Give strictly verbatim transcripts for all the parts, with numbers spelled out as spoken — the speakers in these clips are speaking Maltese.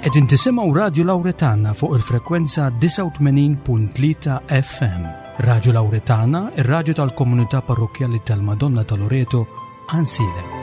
Qegħdin tisimgħu Radju Lawretana fuq il-frekwenza disgħa u tmenin punt tlieta F M. Radju Lawretana, ir-radju tal-komunità parrokkjali tal-Madonna ta' Loreto, Għajnsielem.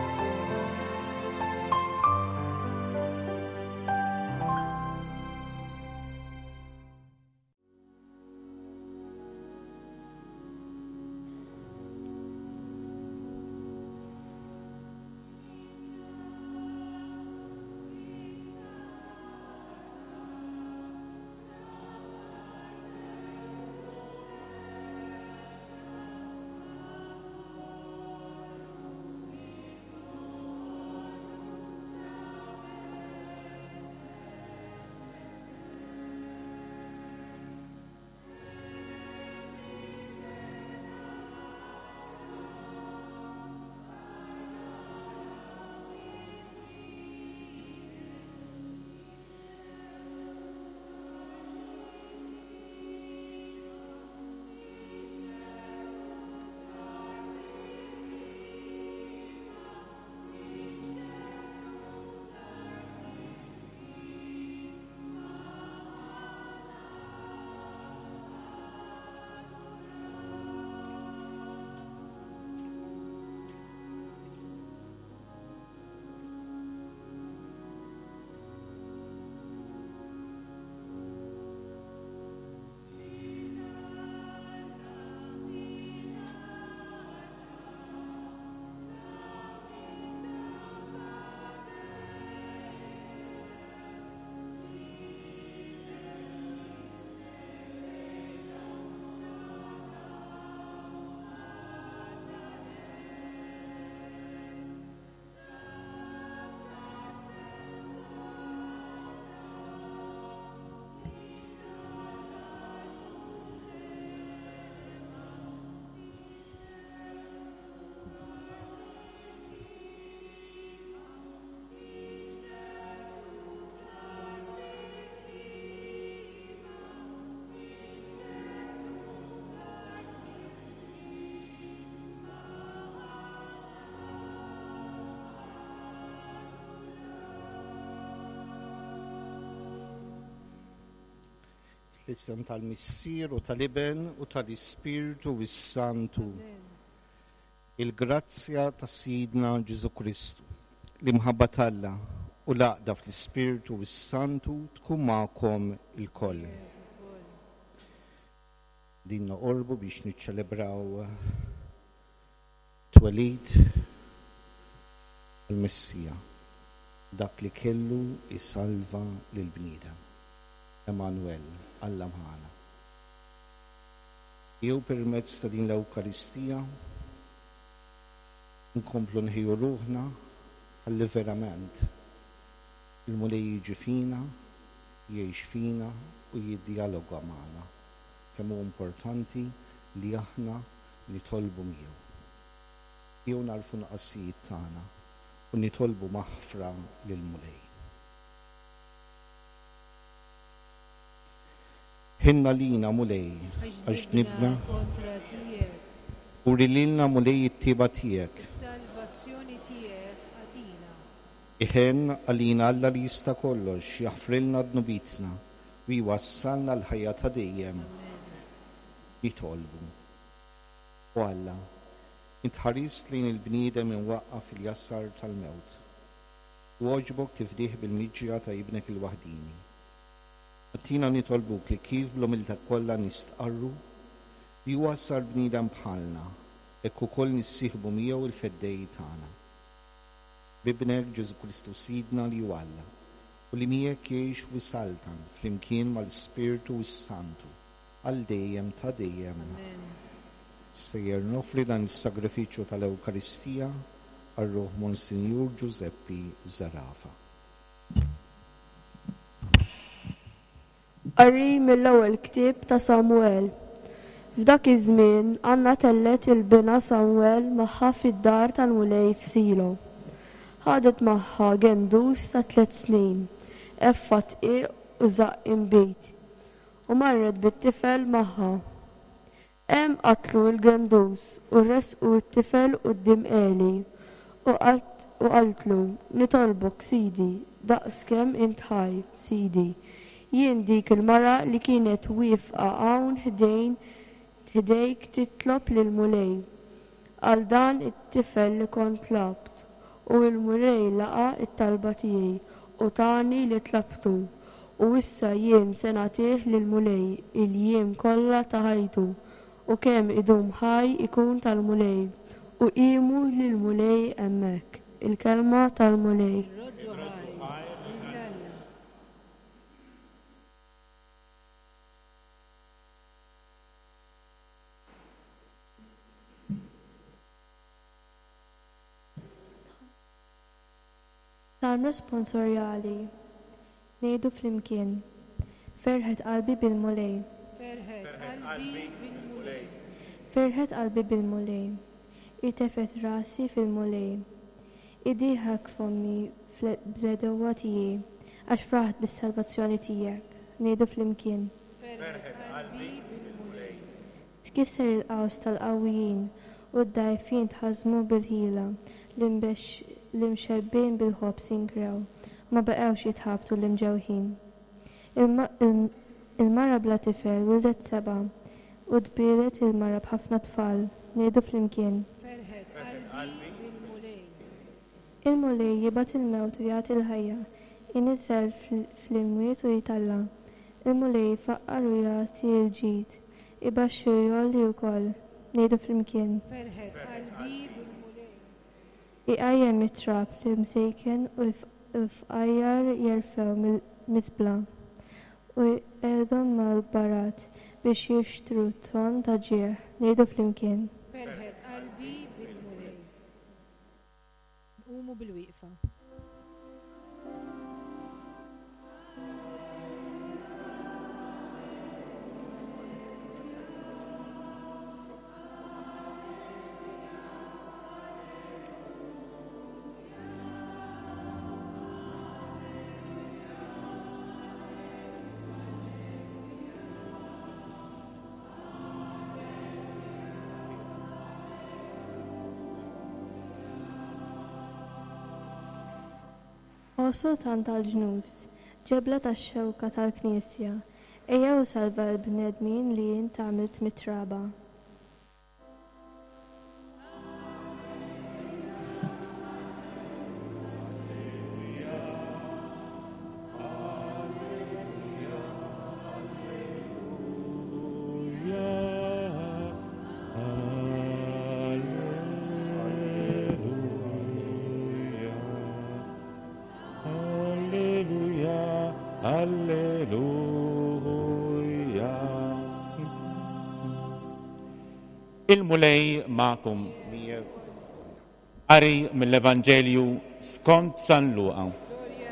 L-isem tal-Missier u tal-Iben u tal-Ispirtu s-Santu. Il-grazzja ta' Sidna Ġesu Kristu, l-imħabba t'Alla u l-għaqda fl-Ispirtu s-Santu tkun magħkom ilkoll. Din noqorbu biex niċċelebraw twelid il-Messija, dak li kellu jsalva lill-bniedem, Emanuel, Alla magħna. Jew permezz ta' din l-Ewkaristija nkomplu nħejju ruħna ħalli verament il-Mulej jiġi fina, jgħix fina u jiddialoga magħna. Kemm hu importanti li aħna nitolbu miegħu. Jew narfu nuqqasijiet tagħna u nitolbu maħfra lill-Mulej. Ħinna lina Mulej, għax dnibna kontra tiegħek. Uri lilna Mulej it-tiba tiegħek. Is-salvazzjoni tiegħek għatina. Iħenn għalina Alla li jista' kollox, jaħfrilna dnubitna u jwassalna l-ħajja ta' dejjem. Nitolbu. O Alla, int ħarist lejn il-bniedem imwaqqa' fil-jasar tal-mewt. U għoġbok tifdih bil-miġja ta' ibnek il-waħdini. Għatina nitolbuk li kif bl-umiltà kollha nistqarru li huwa sar bniedem bħalna, hekk ukoll nissieħbu miegħu il-feddej tagħna. B'ibnek Ġesu Kristu Sidna li hu Alla, u li miegħek jgħix u jsaltan flimkien mal-Ispirtu s-Santu għal dejjem ta' dejjem. Amen. Sejjer nofri dan is-sagrifiċċju tal-Ewkaristija għal ruħ Monsinjur Giuseppi Zerafa. Qari mill-ewwel ktieb ta' Samuel. F'dak iż-żmien Anna tellet il-bina Samuel magħha fid-dar tal-Mulej f'Silo. Ħadet magħha gendus ta' tliet snin, effa dqiq u żaqq inbid, u marret bit-tifel magħha. Hemm qatlu l-gendus u resqu t-tifel quddiem Eli u u qaltlu, nitolbok Sidi, daqskemm int ħaj, Sidi. Jien dik il-mara li kienet wieqfa hawn ħdejn ħdejk titlob lill-Mulej. Għal dan it-tifel li kont tlabt, u l-Mulej laqa' t-talba tiegħi u tani li tlabtu. U issa jien se nagħtih lill-Mulej il-jiem kollha ta' ħajtu, u kemm idum ħaj ikun tal-Mulej, u qimu lill-Mulej hemmhekk. Il-kelma tal-Mulej. Roddu ħajr lil Alla. Salm responsorjali. Ngħidu flimkien. Ferħet qalbi bil-Mulej. Ferħet qalbi bil-Mulej. Ferħet qalbi bil-Mulej. Irtefet rasi fil-Mulej. Idieħak fommi bl-għedewwa tiegħi, għax fraħt bis-salvazzjoni tiegħek. Ngħidu flimkien. Ferħet qalbi bil-Mulej. Tkisser il-qaws tal-qawwijin u d-dgħajfin tħażżmu bil-ħila, l-imxebbin bil-ħobż jinkrew, ma baqgħux jitħabtu l-imġewħin. Il-mara bla tifel wildet seba' u tbielet il-mara b'ħafna tfal. Ngħidu flimkien. Ferħet qalbi bil-Mulej. Il-Mulej jibgħat il-mewt u jagħti l-ħajja, iniżel fl-imwiet u jitalla'. Il-Mulej jfaqqar u jagħti l-ġid, ibaxxi u jgħolli wkoll. Ngħidu flimkien. Ferħet qalbi bil-Mulej. Iqajjem it-trab l-imsejken u l-fqajjar jerfgħu mill-miżbla u jqegħedhom mal-kbarat biex jixtru ton ta' ġieħ. Ngħidu flimkien. Ferħet qalbi bil-Mulej. Nqumu bil-wieqfa. O Sultan tal-ġnus, ġebla tax-xewka tal-Knisja, ejja u salva l-bnedmin li int għamilt mit-traba. Il-Mulej magħkom. Qari mill-Evanġelju skont San Luqa.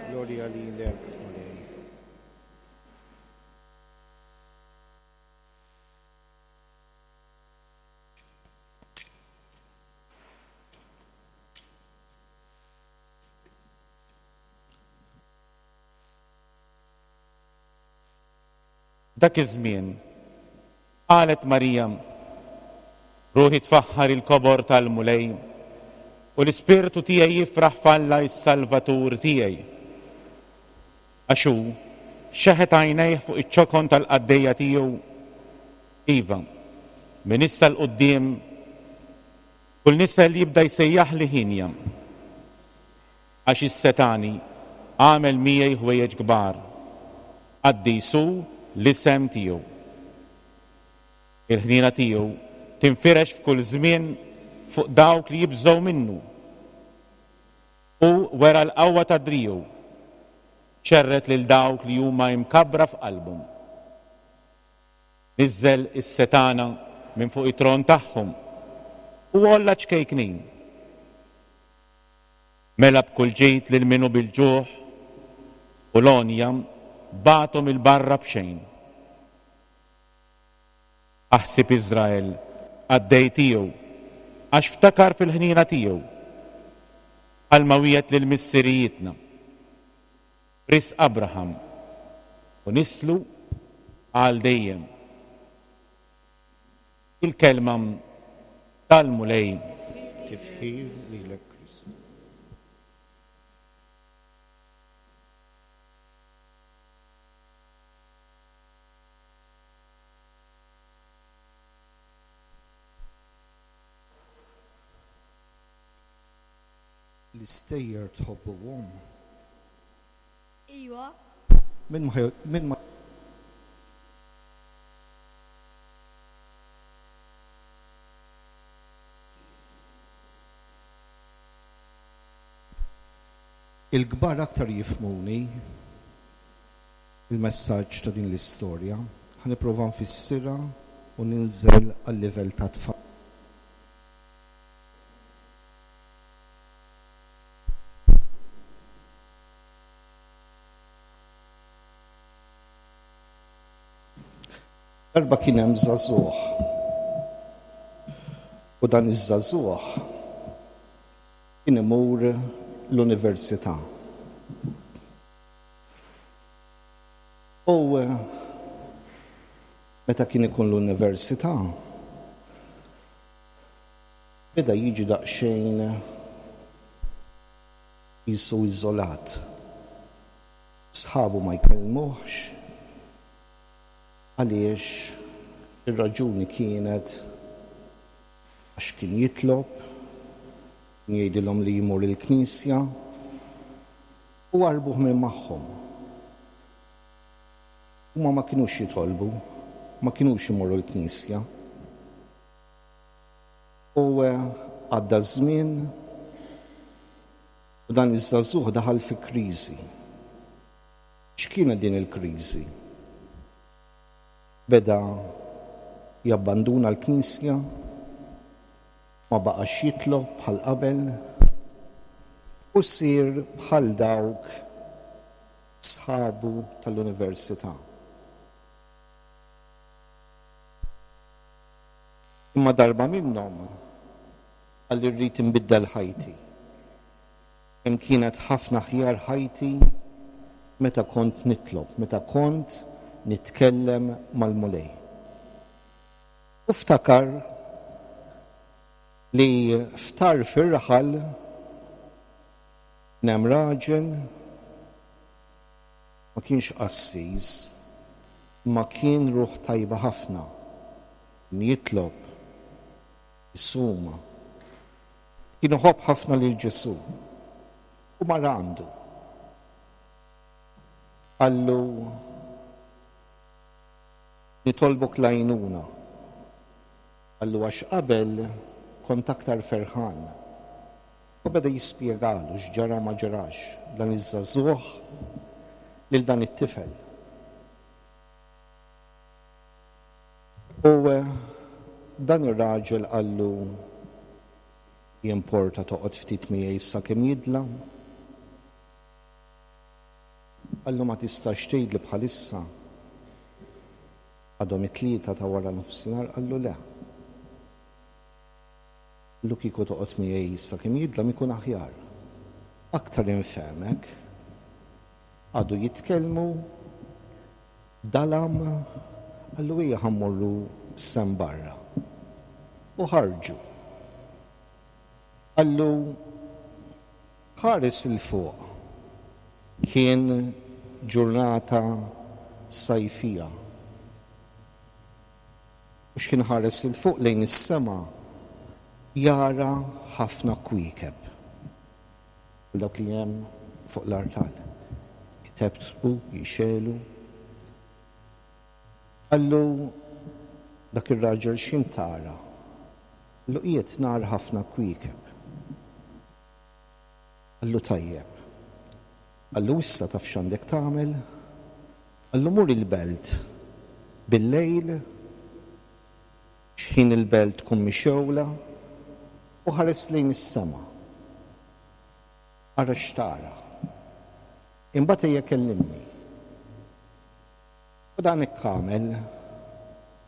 Glorja lilek, Mulej. Dak iż-żmien qalet Marija, ruħi tfaħħar il-kobor tal-Mulej u l-ispirtu tiegħi jifraħ f'Alla s-Salvatur tiegħi. Għax hu xeħet għajnejh fuq iċ-ċokon tal-qaddejja tiegħu. Iva, minn issa 'l quddiem kull nisel jibda jsejjaħli ħinja. Għax is-setani għamel miegħi ħwejjeġ kbar, qaddisu l-isem tiegħu. Il-ħniena tiegħu tinfirex f'kull żmien fuq dawk li jibżgħu minnu. U wera l-qawwa ta' driju, ċerret lil dawk li huma imkabbra f'qalbhom. Niżżel is-setana minn fuq it-tron tagħhom u għolla ċkejknin. Mela b'kull ġid lil minnu bil-ġuħ u l-onja bagħthom il-barra b'xejn. Aħsib Iżrael għaddej tiegħu għax ftakar fil-ħniena tiegħu bħalma wiegħed lil missirijietna. Risq Abraham u nislu għal dejjem. Il-kelma tal-Mulej. Tifħir lilek Kristu. L-istejjer tħobbuhom? Iwa. Min ma min ma Il-kbar aktar jifhmuni il-messaġġ ta' din l-istorja. Ħa nipprova nfissirha u ninżel għal-livell ta' tfal. Darba kien hemm żagħżugħ. U dan iż-żagħżugħ kien imur l-università. U meta kien ikun l-università, beda jiġi daqsxejn qisu iżolat. Sħabu ma jkellmuhx għaliex ir-raġuni kienet għax kien jitlob, kien jgħidilhom li jmur il-knisja u warbuh minn magħhom. Huma ma kinux jitolbu, ma kinux imorru l-knisja. U għadda ż-żmien u dan iż-żagħżugħ daħal fi kriżi. X'kienet din il-kriżi? Beda jabbanduna l-knisja, ma baqax jitlob bħal qabel u sir bħal dawk sħabu tal-università. Imma darba minnhom qal irrid inbiddel ħajti. Hemm kienet ħafna aħjar ħajti meta kont nitlob, meta kont nitkellem mal-Mulej. U ftakar li ftar fir-raħal hemm raġel ma kienx qassis, ma kien ruħ tajba ħafna, jitlob, jisuma. Kien iħobb ħafna lil Ġesù u mar għandu. Qallu, nitolbok l-għajnuna. Qallu għax qabel kont aktar ferħan. U beda jispjegalu x'ġara ma ġarax dan iż-żagħżugħ lil dan it-tifel. U dan ir-raġel qallu jimporta toqgħod ftit miegħi sakemm jidla. Qallu ma tistax tgħidli bħalissa għadhom it-tlieta ta' wara nofsinhar. Qallu le. Qallu kieku toqgħod miegħi sakemm jidlam ikun aħjar. Aktar infehmek. Għadu jitkellmu dalam, qallu ejja ħa mmorru sem barra. U ħarġu. Qallu ħares 'il fuq. Kien ġurnata sajfija. U x'kien ħares 'il fuq lejn is-sema jara ħafna kwiekeb. U dawk li hemm fuq l-artal jitebtbu, jixelu. Qallu dak ir-raġel x'int tara? Qallu qiegħed nara ħafna kwiekeb. Qallu tajjeb. Qallu issa taf x'għandek tagħmel? Qallu mur il-belt bil-lejl, x'ħin il-belt tkun mixewla, u ħares lejn is-sema. Ara x'tara. Imbagħad ejja kellimni. U dan hekk għamel,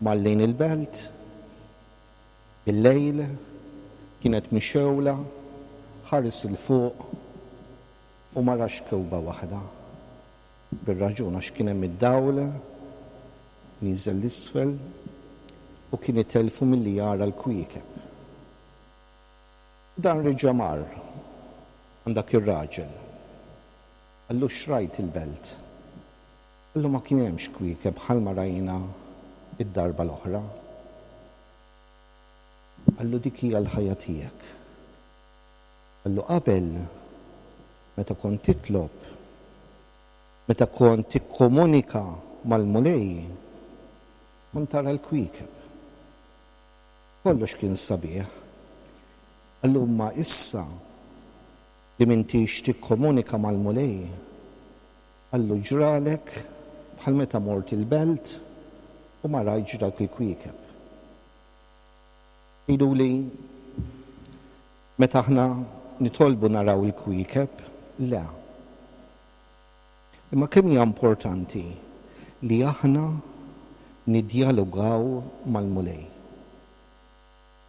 mar lejn il-belt, bil-lejl, kienet mixewla, ħares 'il fuq u ma rax kewba waħda. Bir-raġun għax kien hemm id-dawl nieżel l-isfel u kien itelfu milli jara l-kwiekeb. Dan reġa' mar għand dak ir-raġel. Qallu x'rajt il-belt? Qallu ma kien hemmx kwiekeb bħalma rajna id-darba l-oħra. Qallu dik hija l-ħajja tiegħek. Qallu qabel Meta kont titlob, meta kont tikkomunika mal-Mulej, kont tara l-kwiekeb. Kollox kien sabiħ. Qallu ma issa li m'intix tikkomunika mal-Mulej, qallu ġralek bħal meta mort il-belt u ma rajtx dawk il-kwiekeb. Idu li meta aħna nitolbu naraw il-kwiekeb, le. Imma kemm hija importanti li aħna nidjalogaw mal-Mulej.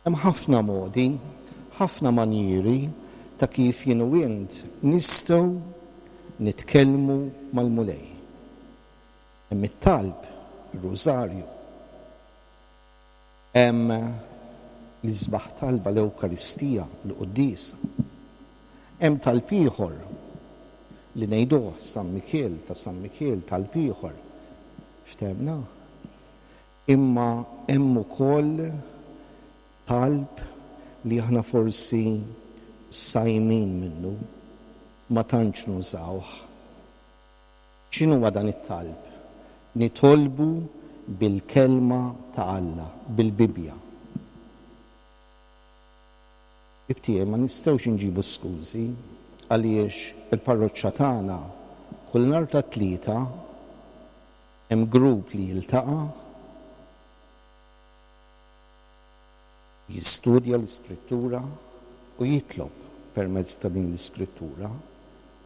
Hemm ħafna modi, ħafna manjieri ta' kif jien u int nistgħu nitkellmu mal-Mulej. Hemm it-talb, ir-rużarju. Hemm l-isbaħ talba l-Ewkaristija, l-Quddiesa. Hemm talb ieħor li ngħiduh San Mikiel ta' San Mikiel talb ieħor. Ftemna? Imma hemm ukoll talb li aħna forsi sajmin minnu, ma tantx nużawh. X'inhuwa dan it-talb? Nitolbu bil-kelma ta' Alla, bil-Bibbja. Ibtiegħi ma nistgħux inġibu skużi għaliex il-parroċċa tagħna kull nhar ta' tlieta hemm grupp li jiltaqa' jistudja l-Iskrittura u jitlob permezz ta' din l-Iskrittura,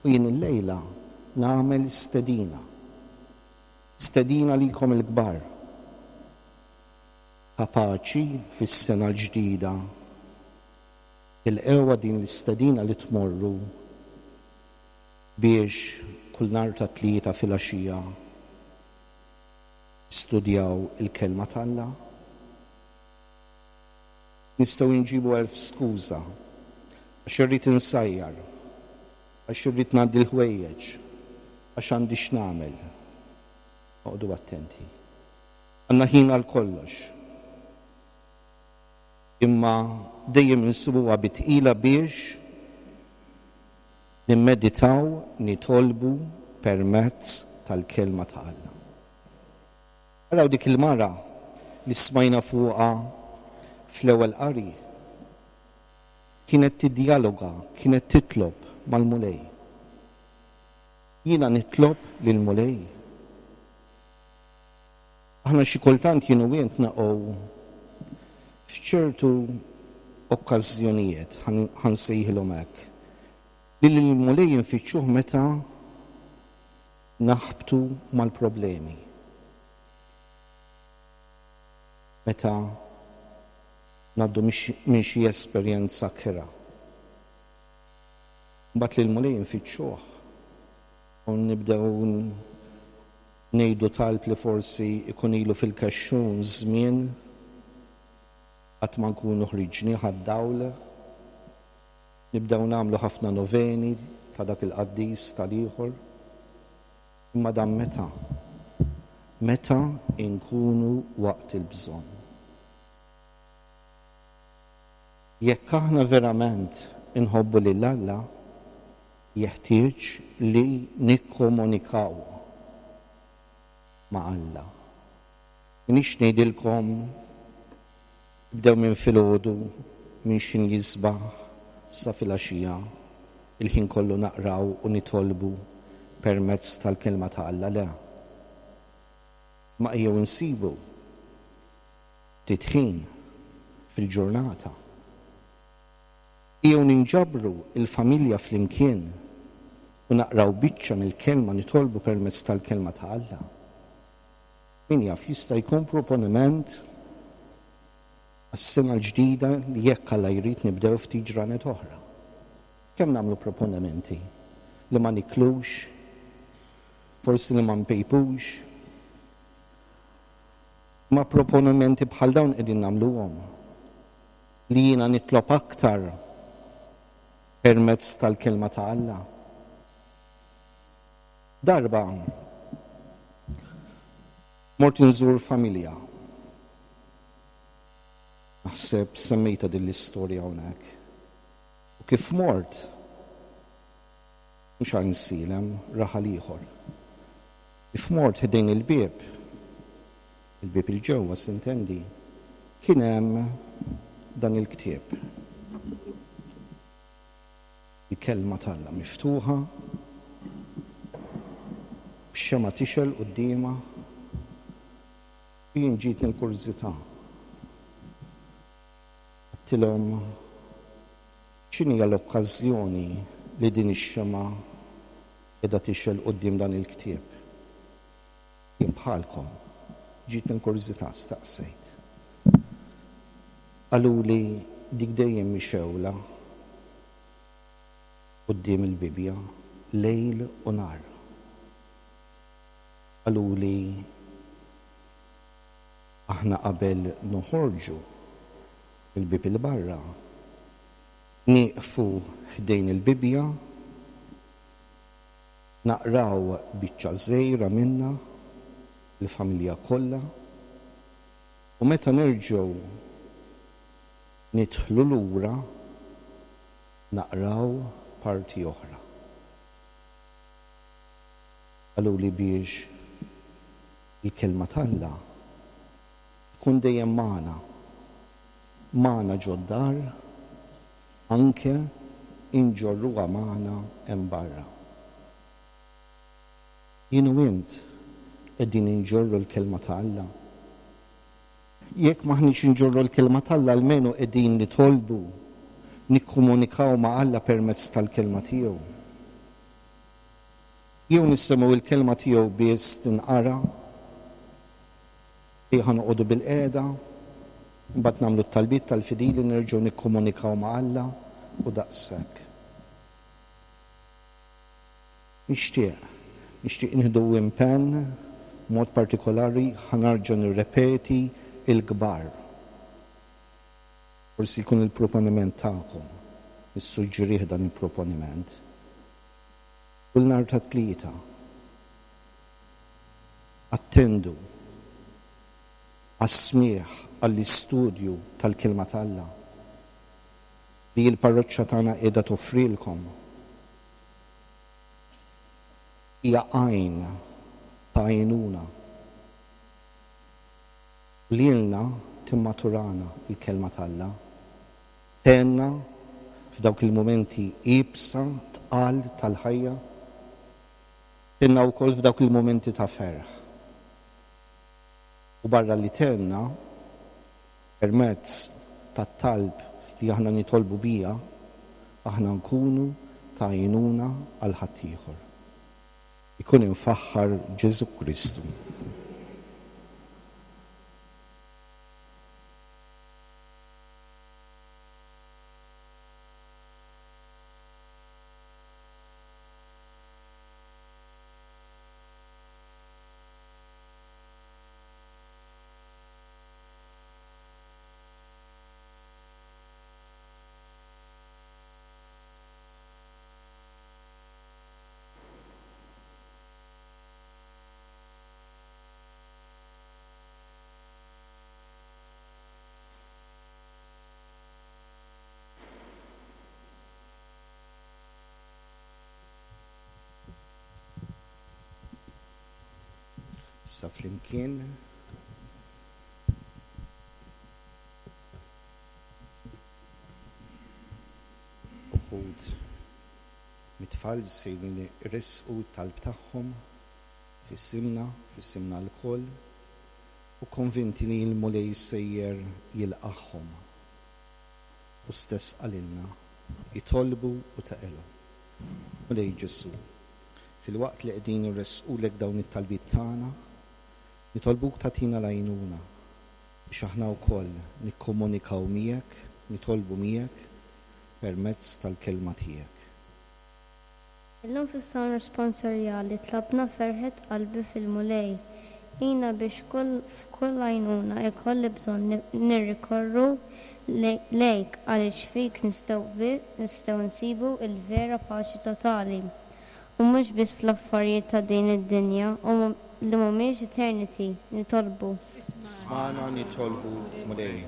u jien illejla nagħmel stedina. Stedina likom il-kbar. Kapaċi fis-sena l-ġdida tilqewha din l-istedina li tmorru biex kull nhar ta' tlieta filgħaxija studjaw il-kelma t'Alla. Nistgħu nġibu elf skuża għax irrid insajjar, għax irrid ngħaddi l-ħwejjeġ, għax għandi x'nagħmel. Oqogħdu attenti. Għandna ħin għal kollox. Imma dejjem insibuha bi tqila biex nimmeditaw, nitolbu permezz tal-kelma ta' Alla. Araw dik il-mara li smajna fuqha fl-ewwel qari. Kienet tiddialoga, kienet titlob mal-Mulej. Jiena nitlob lill-Mulej. Aħna xi kultant jien u int naqgħu f'ċertu okkażjonijiet, ħansejħilhom hekk, li lill-Mulej infittxuh meta naħbtu mal-problemi. Meta ngħaddu minn xi esperjenza kera. Mbagħad lill-Mulej infittxuh u nibdew ngħidu talb li forsi ikun ilu fil-kexxun żmien qatt ma nkunu ħriġni ħad-dawl, nibdew nagħmlu ħafna noveni ta' dak il-qaddis tal-ieħor. Imma dan meta? Meta nkunu waqt il-bżonn. Jekk aħna verament inħobbu lil Alla, jeħtieġ li nikkomunikaw ma' Alla. Minix ngħidilkom bdew minn filgħodu, minn x'in jisbaħ sa filgħaxija, il-ħin kollu naqraw u nitolbu permezz tal-kelma ta' Alla, le. Ma ejjew insibu ftit ħin fil-ġurnata. Ejjew ninġabru il-familja flimkien u naqraw biċċa mill-kelma, nitolbu permezz tal-kelma ta' Alla. Min jaf jista' jkun proponiment għas-sena l-ġdida li jekk Alla jrid nibdew ftit ġranet oħra. Kemm nagħmlu proponimenti li ma niklux, forsi li ma npejpux, ma proponimenti bħal dawn qegħdin nagħmluhom li jiena nitlob aktar permezz tal-kelma ta' Alla. Darba mort inżur familja. Naħseb semmejta din l-istorja hawnhekk. U kif mort Mhux Għajnsielem, raħal ieħor. Kif mort ħdejn il-bieb, il-bieb il-ġewwa s'intendi, kien hemm dan il-ktieb. Il-kelma t'Alla miftuħa, b'xema tixgħel quddiemha, jien ġietni l-kurżità. Għedtilhom x'inhi l-okkażjoni li din ix-xema qiegħda tixgħel quddiem dan il-ktieb. Jien bħalkom ġietni l-kurżità, staqsejt. Qaluli dik dejjem mixgħula quddiem il-Bibbja lejl u nhar. Qaluli aħna qabel noħorġu il-bieb il-barra nieqfu ħdejn il-Bibbja, naqraw biċċa żgħira minna l-familja kollha, u meta nerġgħu nidħlu lura naqraw parti oħra. Qaluli biex il-kelma t'Alla tkun dejjem magħna, magħna ġod-dar, anke inġorruha magħna hemm barra. Jien u int qegħdin inġorru l-kelma ta' Alla. Jekk m'aħniex inġorru l-kelma t'Alla, almenu qegħdin nitolbu, nikkomunikaw ma' Alla permezz tal-kelma tiegħu. Jew nisimgħu l-kelma tiegħu biss tinqara, ħa noqogħdu bil-qiegħda, mbagħad nagħmlu t-talbiet tal-fidili, nerġgħu nikkomunikaw ma' Alla u daqshekk. Nixtieq, nixtieq nieħdu impenn mod partikolari, ħa nerġa' nirrepeti il-kbar. Forsi jkun il-proponiment tagħkom, nissuġġerih dan il-proponiment. Kull nhar ta' Tlieta attendu għas-smigħ, għall-istudju tal-kelma t'Alla li l-parroċċa tagħna qiegħda toffrilkom. Hija għajn ta' għajnuna. Lilna timmaturana il-kelma t'Alla. Tgħinna f'dawk il-mumenti iebsa tqal tal-ħajja, tgħinna wkoll f'dawk il-mumenti ta' ferħ. U barra li tgħinna permezz tat-talb li aħna nitolbu bija, aħna nkunu ta' għajnuna għal ħaddieħor. Ikun imfaħħar Ġesù Kristu. Issa flimkien uħud mit-tfal sejrin iressqu t-talb tagħhom fis-simna, fis-simna lkoll, u konvinti li l-Mulej sejjer jilqagħhom. U stess qalilna, itolbu u taqilhom. Mulej Ġesù, fil-waqt li qegħdin iressqulek dawn it-talbiet tagħna, nitolbuk tagħtina l-għajnuna biex aħna wkoll nikkomunikaw miegħek, nitolbu miegħek permezz tal-kelma tiegħek. Illum fis-Salm Responsorjali tlabna ferħet qalbi fil-Mulej. Għinna biex kull f'kull għajnuna ikolli bżonn nirrikorru lejk għaliex fik nistgħu nistgħu nsibu l-vera paċi totali. U mhux biss fl-affarijiet ta' din id-dinja u li mhumiex eternity, nitolbu. Smagħna nitolbu, Mulej.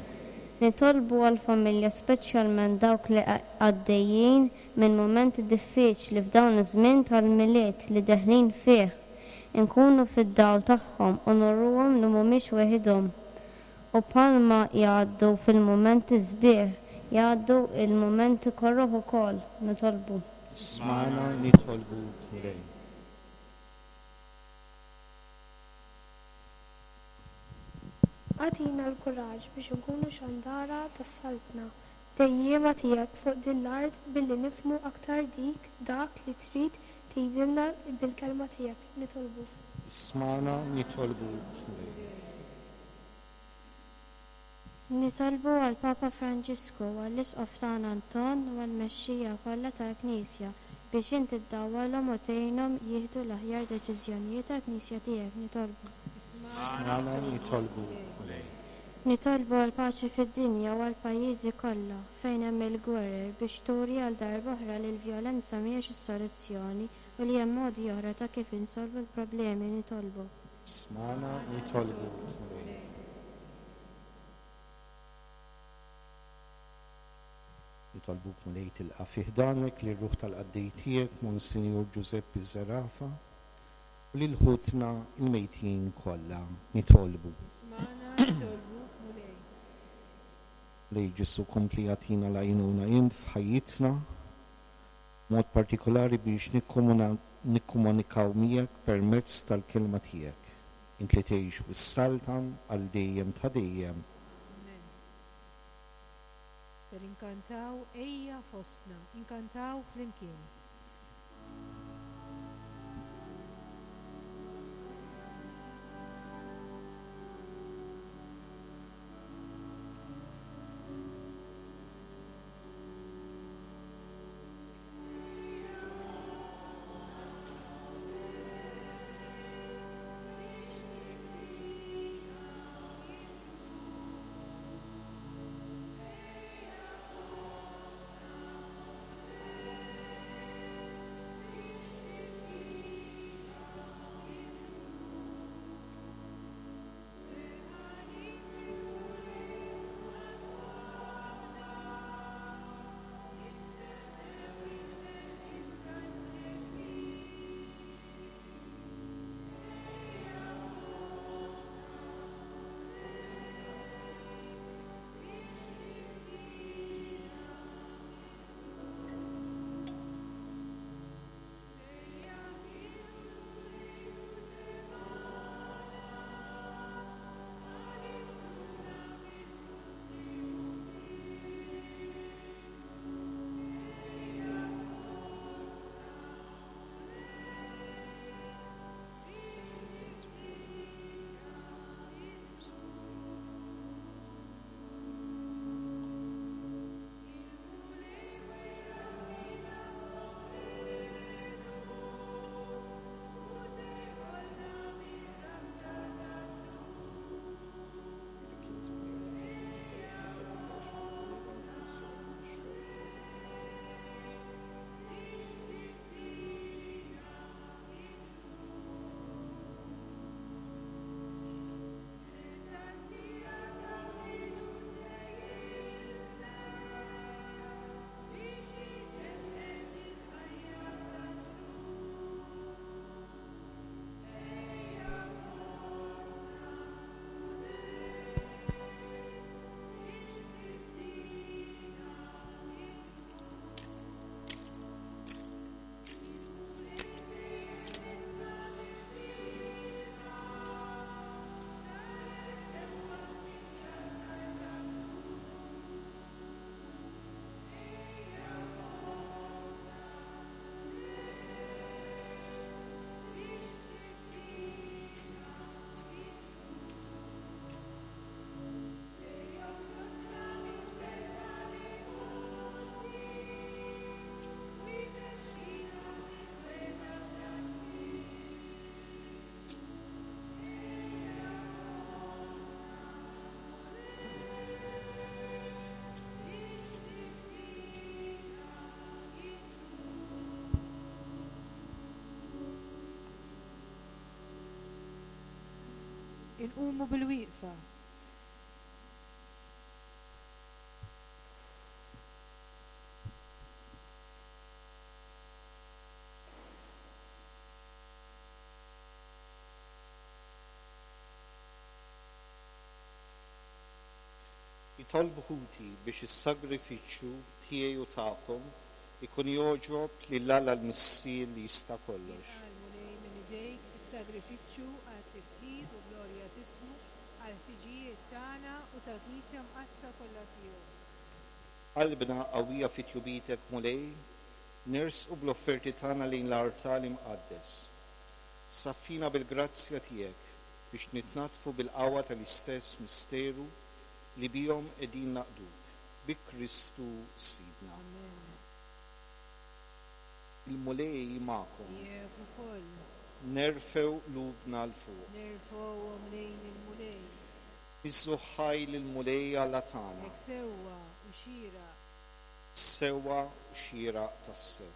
Nitolbu għall-familja, speċjalment dawk li għaddejjin minn mumenti diffiċli f'dawn iż-żmien tal-Milied li deħlin fih. Inkunu fid-dawl tagħhom u nurruhom li mhumiex weħidhom. U bħalma jgħaddu fil-mumenti sbieħ, jgħaddu il-mumenti korroħ ukoll. Nitolbu. Smana nitolbu, Mulej. Agħtina l-kuraġġ biex inkunu xandara tas-saltna dejjiema tiegħek fuq din l-art billi nifhmu aktar dik dak li trid tgħidilna bil-kelma tiegħek. Nitolbu. Smana nitolbu, Mulej. Nitolbu għal Papa Franġisku, għall-Isqof tagħna Anton u għall-mexxija kollha tal-Knisja biex inti ddawwalhom u tgħinhom jieħdu l-aħjar deċiżjonijiet tal-Knisja tiegħek. Nitolbu. Smana nitolbu, Mulej. Nitolbu għal paċi fid-dinja u għal pajjiżi kollha fejn hemm il-gwerer biex turi għal darb'oħra li l-vjolenza mhijiex is-soluzzjoni u li hemm modi oħra ta' kif insolvu l-problemi. Nitolbu. Smana nitolbu, Mulej. Nitolbuk, Mulej, tilqa' fi ħdanek lir-ruħ tal-qaddej tiegħek Monsinjur Giuseppe Zerafa u lil ħutna l-mejtin kollha. Nitolbu. Smana nitolbuk, Mulej. Mulej Ġesù, kompli jagħtina l-għajnuna int f'ħajjitna, mod partikolari biex nikkomunikaw miegħek permezz tal-kelma tiegħek. Int li tgħix u s-saltan għal dejjem ta' dejjem. Amen. Ser inkantaw Ejja Fostna, inkantaw flimkien. Inqumu bil-wieqfa. Itolbu ħuti biex is-sagrifiċċju tiegħi u tagħkom ikun jogħġob lil Alla l-Missier li jista' kollox. Għal-Mulej minn idejk is-sagrifiċċju għat-tifħir u glorja t'ismu għall-ħtiġijiet tagħna u tal-Knisja Mqaddsa kollha tiegħu. Qalbna qawwija fi tjubitek Mulej, nersqu bl-offerti tagħna lejn l-artal imqaddes. Saffina bil-grazzja tiegħek biex nitnatfu bil-qawwa tal-istess misteru li bihom qegħdin naqduk bi Kristu Sidna. Amen. Il-Mulej magħkom. Miegħek ukoll. Nerfgħu qlubna 'l fuq. Nerfgħuhom lejn il-Mulej. Niżżu ħaj lill-Mulej Alla tagħna. Hekk sewwa u xieraq. Sewwa u xieraq tassew.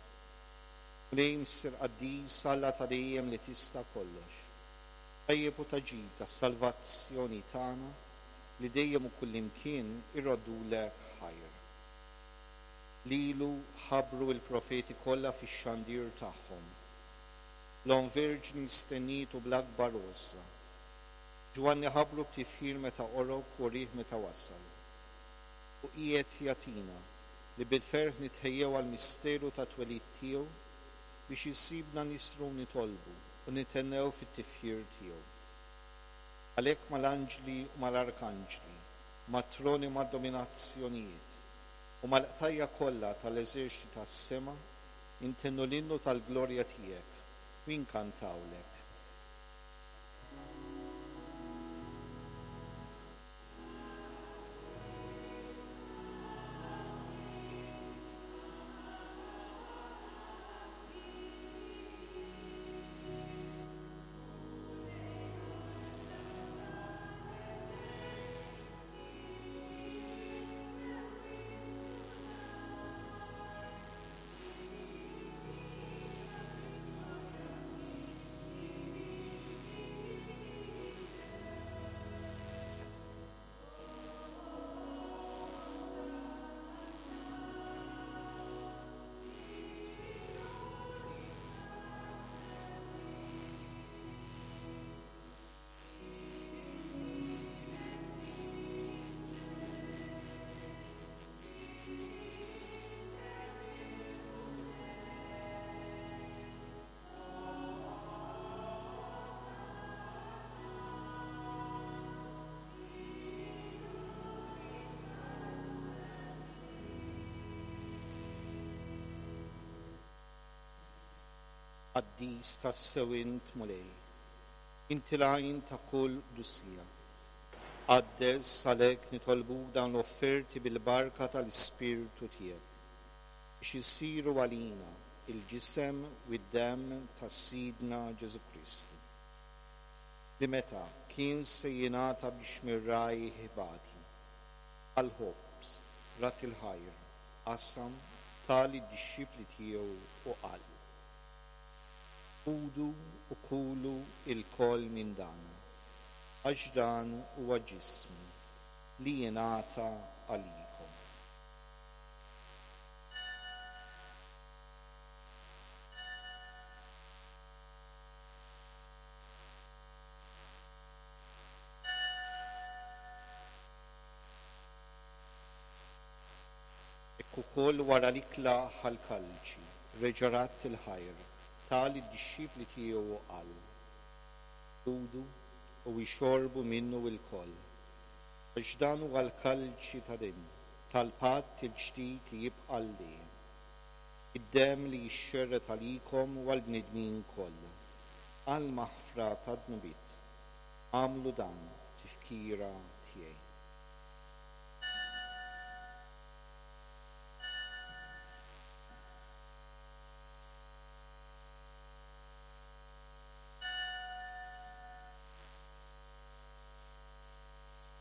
Mulej Missier Qaddis Alla ta' dejjem li tista' kollox. Tajjeb u ta' ġid tas-salvazzjoni tagħna li dejjem u kullimkien irroddulek ħajr. Lilu ħabbru l-profeti kollha fix-xandir tagħhom. L-Omm Verġni stennietu bl-akbar għożża. Ġwanni ħabbru b'tifħir meta qorob u riħ meta wasal. U qiegħed jagħtina li bil-ferħ nitħejjew għall-misteru ta' twelid tiegħu biex isibna nisru nitolbu u nitennew fit-tifħir tiegħu. Għalhekk mal-anġli u mal-arkanġli, mat-troni u mad-dominazzjonijiet u mal-qtajja kollha tal-eżerċti tas-sema intennu l-innu tal-glorja tiegħek u inkantawlek. Qaddis tassew int Mulej, inti l-għajn ta' kull qdusija. Qaddes għalhekk nitolbuk dawn l-offerti bil-barka tal-Ispirtu tiegħek biex isiru għalina il-ġisem u d-demm ta' Sidna Ġesù Kristu, li meta kien se jingħata biex mir-raj ibati, għall-ħobż rat il-ħajr, qasam ta lid-dixxipli tiegħu u qal: Ħudu u kulu lkoll minn dan, għax dan huwa ġismi li jingħata għalikom. Hekk ukoll wara l-ikla ħall-kalċi, reġa' radd il-ħajr, ta lid-dixxipli tiegħu u qal: Ħudu u ixorbu minnu lkoll, għax dan huwa l-kalċi ta' demmi, tal-patt il-ġdid li jibqa' għal dejjem, id-demm li jixxerred għalikom u għall-bnedmin kollha, għall-maħfra tad-dnubiet. Agħmlu dan tifkira tiegħi.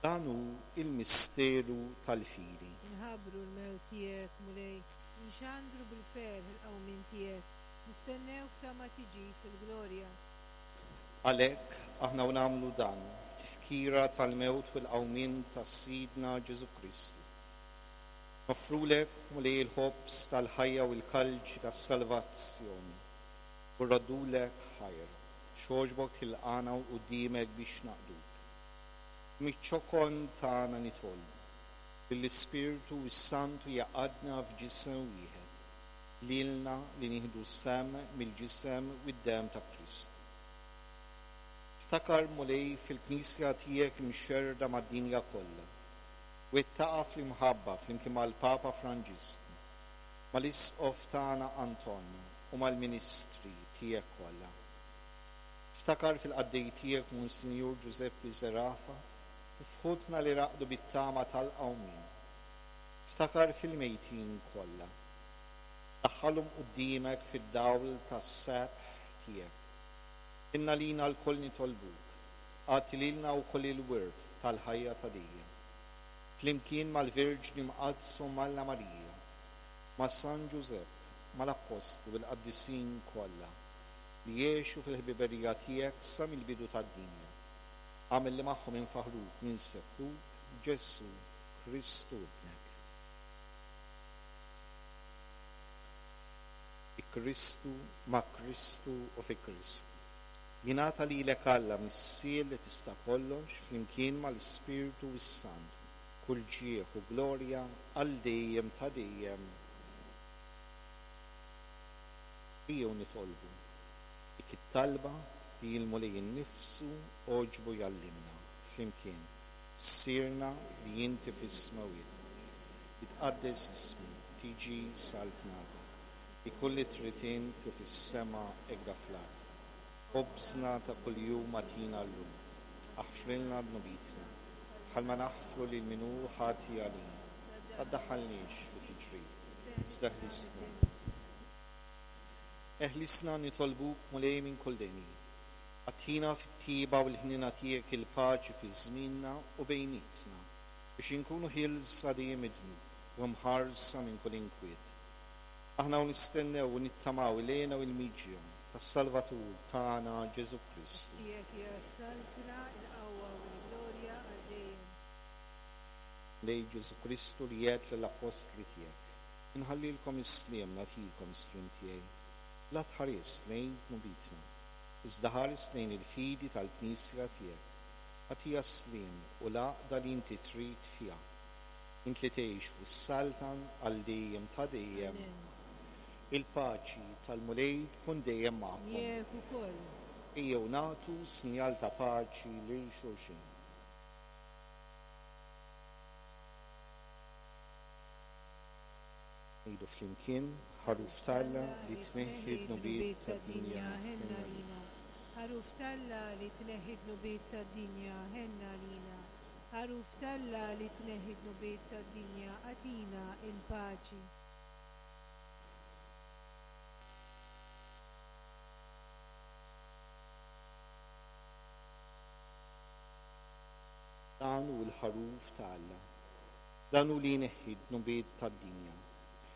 Dan hu il-misteru tal-fidi. Inħabbru l-mewt tiegħek, Mulej, inxandru bil-ferħ il-qawmien tiegħek, nistennewk sa ma tiġi fil-glorja. Għalhekk aħna u nagħmlu dan, tifkira tal-mewt u l-qawmien ta' Sidna Ġesù Kristu. Noffrulek, Mulej, il-ħobż tal-ħajja u l-kalċi tas-salvazzjoni, u rraddulek ħajr, xogħġbok tilqana u quddiemek biex naqduk. Miċ-ċokon tagħna nitolbu Lill-Ispirtu s-Santu jaqadna f'ġisem wieħed, lilna li nieħdu sehem mill-ġisem u d-demm ta' Kristu. Ftakar, Mulej, fil-Knisja tiegħek imxerrda mad-dinja kollha, u ittaqa' fl-imħabba flimkien mal-Papa Franġisku, mal-Isqof tagħna Anton u mal-Ministri tiegħek kollha. Ftakar fil-qaddej tiegħek Monsinjur Giuseppe Zerafa u f'ħutna li raqdu bit-tama tal-qawmien. Ftakar fil-mejtin kollha. Daħħalhom quddiemek fid-dawl tas-sebħ tiegħek. Inna lina lkoll nitolbuk, agħti lilna wkoll il-wirt tal-ħajja ta' dejjem. Flimkien mal-Verġni Mqaddsa u Alla Marija, ma' San Ġużepp, mal-Appostli u l-qaddisin kollha li jgħixu fil-ħbiberija tiegħek sa mill-bidu tad-dinja. Agħmel li magħhom infaħruk ninsebbħuk Ġesù Kristu ibnek. Bi Kristu, ma' Kristu u fi Kristu. Jingħata lilek Alla Missier li tista' kollox flimkien mal-Ispirtu s-Santu, kull ġieħ u glorja għal dejjem ta' dejjem. Ejjew nitolbu dik it-talba li l-Mulej innifsu għoġbu jgħallimna flimkien. Missierna li inti fis-smewwiet, jitqaddes ismu, tiġi saltnatek, ikun li trid int kif is-sema hekk fl-art. Ħobżna ta' kuljum agħtina llum, aħfrilna dnubietna, bħalma naħfru lil min hu ħati għalina. Ma ddaħħalniex fi tiġrib, iżda ħlisna. Eħlisna nitolbuk Mulej minn kull deni. Agħtina fit-tjieba u l-ħniena tiegħek il-paċi fi żmienna u bejnietna, biex inkunu ħielsa dejjem mid-dnub u mħarsa minn kull inkwiet. Aħna u nistennew u nittamaw il-hena u l-miġja tas-Salvatur tagħna Ġesù Kristu. Tiegħek hija s-saltna, il-qawwa u l-glorja għal dejjem. Mulej Ġesù Kristu li għedt lill-appostli tiegħek, inħallilkom is-sliem, nagħtikom is-sliem tiegħi. La tħares lejn dnubietna, iżda ħares lejn il-fidi tal-Knisja tiegħek. Agħtiha s-sliem u l-għaqda li inti trid fiha. Int li tgħix u s-saltan għal dejjem ta' dejjem. Il-paċi tal-Mulej tkun dejjem magħkom. Miegħek ukoll. Ejjew nagħtu sinjal ta' paċi lil xulxin. Ngħidu flimkien, ħaruf t'Alla li tneħħi d-dnubiet tad-dinja, ħenna lina. Ħaruf t'Alla li tneħħi d-dnubiet tad-dinja, ħenna lina. Ħaruf t'Alla li tneħħi d-dnubiet tad-dinja, agħtina il-paċi. Dan hu l-ħaruf t'Alla. Dan hu li jneħħi d-dnubiet tad-dinja.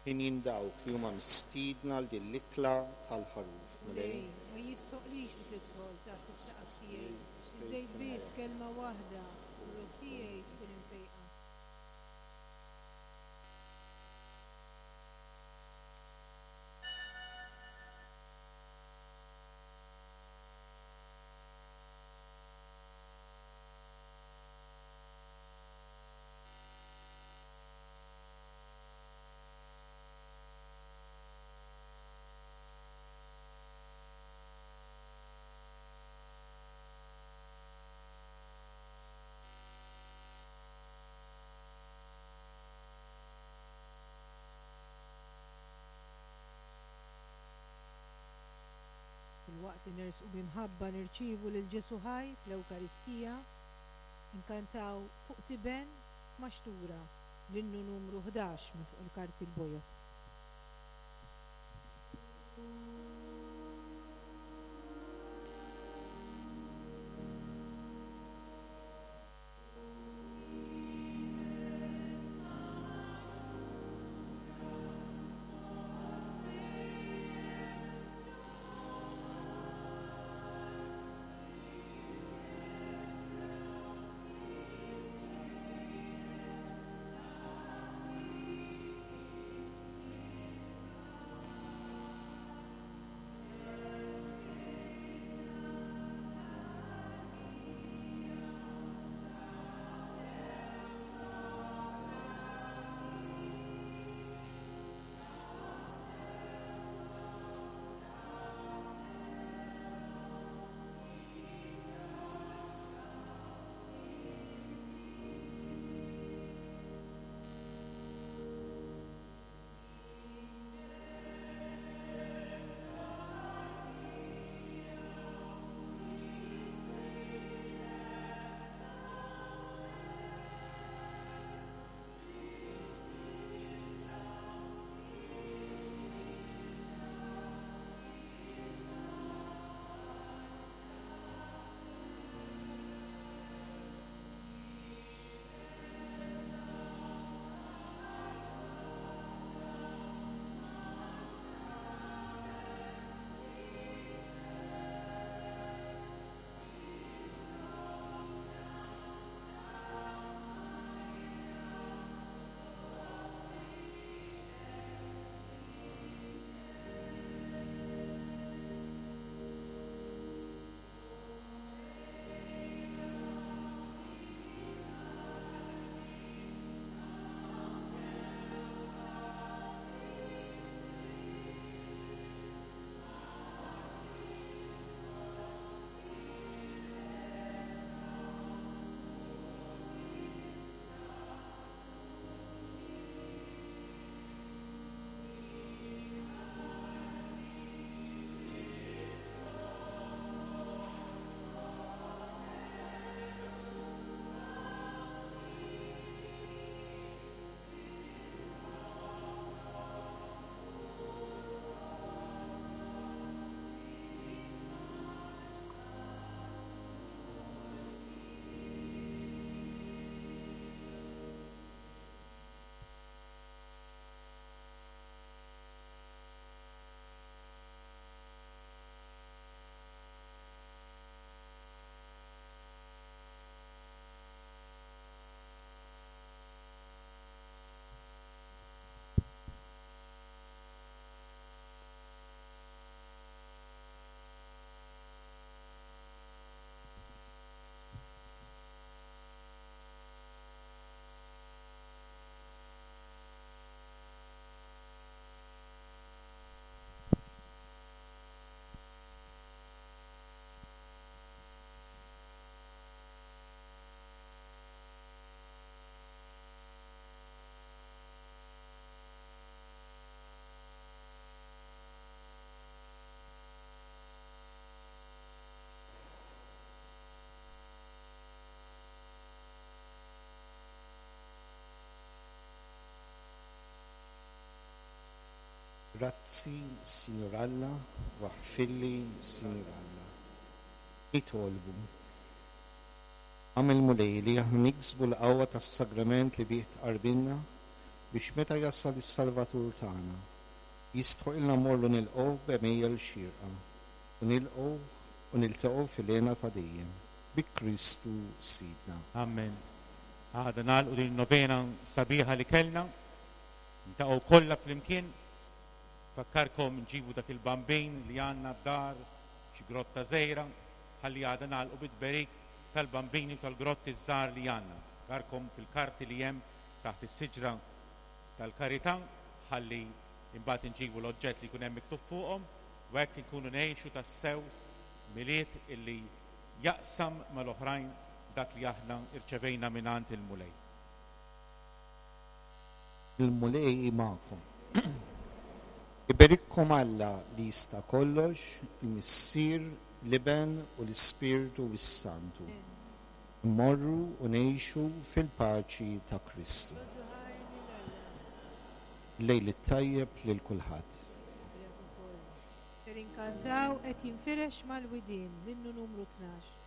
Ħinin dawk li huma mistiedna għal din l-ikla tal-ħaruf. Mulej, ma jistoqlix li tidħol taħt is-saqaf tiegħi, iżda għid biss kelma waħda u r-ruħ tiegħi tkun imfejqa. Filwaqt li nersqu b'imħabba nirċievu lil Ġesù ħaj fl-Ewkaristija, inkantaw fuq tiben f'maxtura l-innu numru ħdax minn fuq il-karti l-bojod. Grazzi, Signor Alla, waħfilli, Signor Alla. Nitolbu. Għamel Mulej li aħna niksbu l-qawwa tas-sagrament li bih tqarbinna biex meta jasal is-Salvatur tagħna jistħoqilna mmorru nilqgħu b'għemejjel xierqa u nilqgħu u niltaqgħu fil-hena ta' dejjem. Bi Kristu Sidna. Amen. Għada nagħlqu din novena sabiħa li kellna. Niltaqgħu kollha flimkien. Fakkarkom nġibu dak il-bambin li għandna d-dar, xi grotta żgħira, ħalli għada nagħlqu bit-tberik tal-bambini u tal-grotti żgħar li għandna. Fakkarkom fil-karti li hemm taħt is-siġra tal-karità, ħalli imbagħad inġibu l-oġġett li jkun hemm miktub fuqhom, u hekk inkunu ngħixu tassew Milied illi jaqsam mal-oħrajn dak li aħna irċevejna mingħand il-Mulej. Il-Mulej magħkom. Iberikkom Alla li jista' kollox, il-Missier, l-Iben u l-Ispirtu s-Santu. Immorru u ngħixu fil-paċi ta' Kristu. Lejl it-tajjeb lil kulħadd. Ser inkantaw qed jinfirex mal-widien l-innu numru tnax.